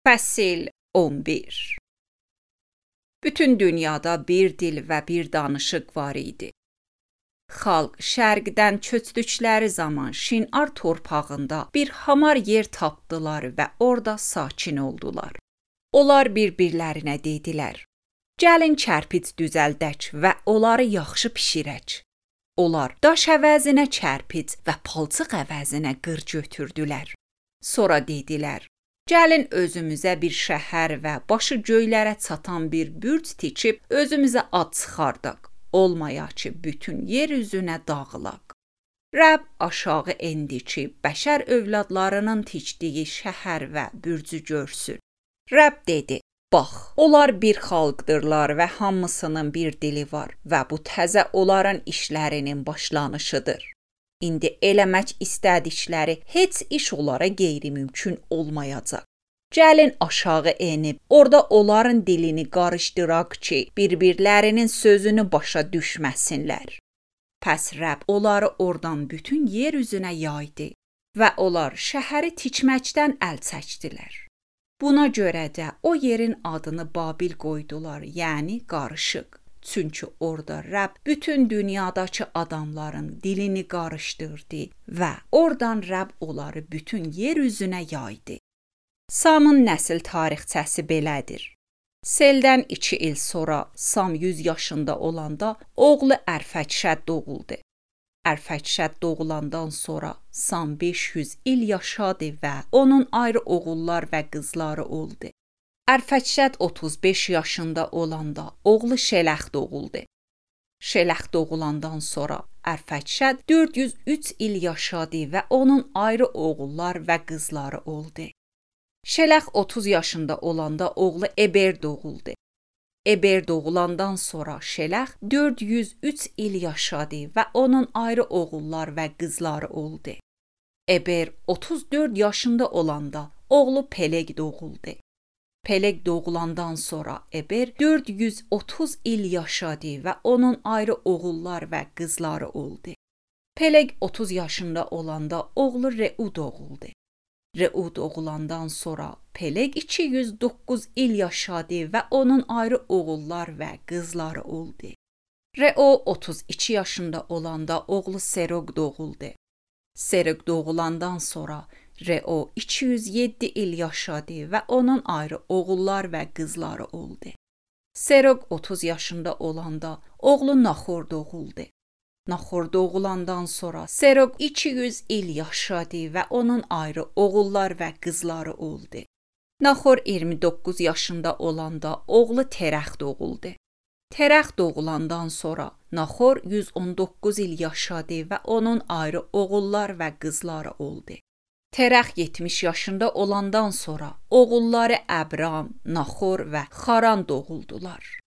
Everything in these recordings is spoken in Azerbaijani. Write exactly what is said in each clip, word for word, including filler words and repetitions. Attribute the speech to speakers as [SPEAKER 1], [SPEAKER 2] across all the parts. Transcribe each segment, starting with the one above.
[SPEAKER 1] Fəsil on bir. Bütün dünyada bir dil və bir danışıq var idi. Xalq şərqdən köçdükləri zaman Şinar torpağında bir hamar yer tapdılar və orada sakin oldular. Onlar bir-birlərinə dedilər: "Gəlin kərpic düzəldək və onları yaxşı bişirək." Onlar daş əvəzinə kərpic və palçıq əvəzinə qır götürdülər. Sonra dedilər: "Gəlin özümüzə bir şəhər və başı göylərə çatan bir bürc tikib özümüzə ad çıxardaq, olmaya ki, bütün yer üzünə dağılaq." Rəbb aşağı endi ki, bəşər övladlarının tikdiyi şəhər və bürcü görsün. Rəbb dedi: "Bax, onlar bir xalqdırlar və hamısının bir dili var və bu təzə onların işlərinin başlanışıdır. İndi eləmək istədikləri heç iş onlara qeyri-mümkün olmayacaq. Gəlin aşağı enib, orada onların dilini qarışdıraq ki, bir-birlərinin sözünü başa düşməsinlər." Pəs Rəbb onları oradan bütün yer üzünə yaydı və onlar şəhəri tikməkdən əl çəkdilər. Buna görə də o yerin adını Babil qoydular, yəni qarışıq. Çünki orada Rəbb bütün dünyadakı adamların dilini qarışdırdı və oradan Rəbb onları bütün yer üzünə yaydı. Samın nəsil tarixçəsi belədir. Seldən iki il sonra Sam yüz yaşında olanda oğlu Ərfəkşəd doğuldu. Ərfəkşəd doğulandan sonra Sam beş yüz il yaşadı və onun ayrı oğullar və qızları oldu. Ərfəkşəd otuz beş yaşında olanda oğlu Şələx doğuldu. Şələx doğulandan sonra Ərfəkşəd dörd yüz üç il yaşadı və onun ayrı oğullar və qızları oldu. Şələx otuz yaşında olanda oğlu Eber doğuldu. Eber doğulandan sonra Şələx dörd yüz üç il yaşadı və onun ayrı oğullar və qızları oldu. Eber otuz dörd yaşında olanda oğlu Peleg doğuldu. Peleg doğulandan sonra Eber dörd yüz otuz il yaşadı və onun ayrı oğullar və qızları oldu. Peleg otuz yaşında olanda oğlu Reu doğuldu. Reu doğulandan sonra Peleg iki yüz doqquz il yaşadı və onun ayrı oğullar və qızları oldu. Reu otuz iki yaşında olanda oğlu Serog doğuldu. Serog doğulandan sonra Reu iki yüz yeddi il yaşadı və onun ayrı oğullar və qızları oldu. Serog otuz yaşında olanda oğlu Naxor doğuldu. Naxor doğulandan sonra Serog iki yüz il yaşadı və onun ayrı oğullar və qızları oldu. Naxor iyirmi doqquz yaşında olanda oğlu Terəx doğuldu. Terəx doğulandan sonra Naxor yüz on doqquz il yaşadı və onun ayrı oğullar və qızları oldu. Terəx yetmiş yaşında olandan sonra oğulları Əbram, Naxor və Xaran doğuldular.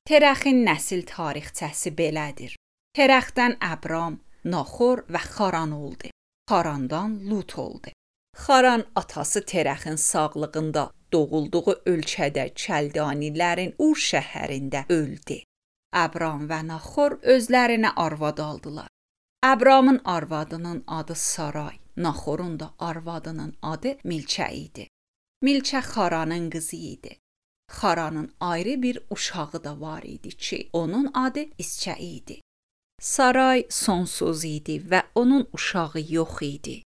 [SPEAKER 1] Terəxin nəsil tarixçəsi belədir. Terəxdən Əbram, Naxor və Xaran oldu. Xarandan Lut oldu. Xaran atası Terəxin sağlığında doğulduğu ölkədə Kəldanilərin Ur şəhərində öldü. Əbram və Naxor özlərinə arvad aldılar. Əbramın arvadının adı Saray, Naxorun da arvadının adı Milkə idi. Milkə Xaranın qızı idi. Xaranın ayrı bir uşağı da var idi ki, onun adı İskə idi. Saray sonsuz idi və onun uşağı yox idi.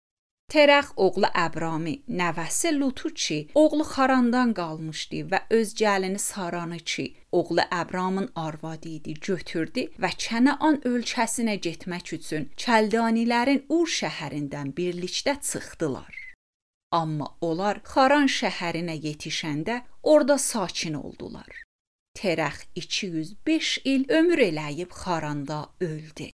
[SPEAKER 1] Terəx oğlu Əbrami, nəvəsi Lutu ki, oğlu Xarandan qalmışdı və öz gəlini Saranı ki, oğlu Əbramın arvadı idi, götürdü və Kənaan ölkəsinə getmək üçün Kəldanilərin Ur şəhərindən birlikdə çıxdılar. Amma onlar Xaran şəhərinə yetişəndə orada sakin oldular. Terəx iki yüz beş il ömür eləyib Xaranda öldü.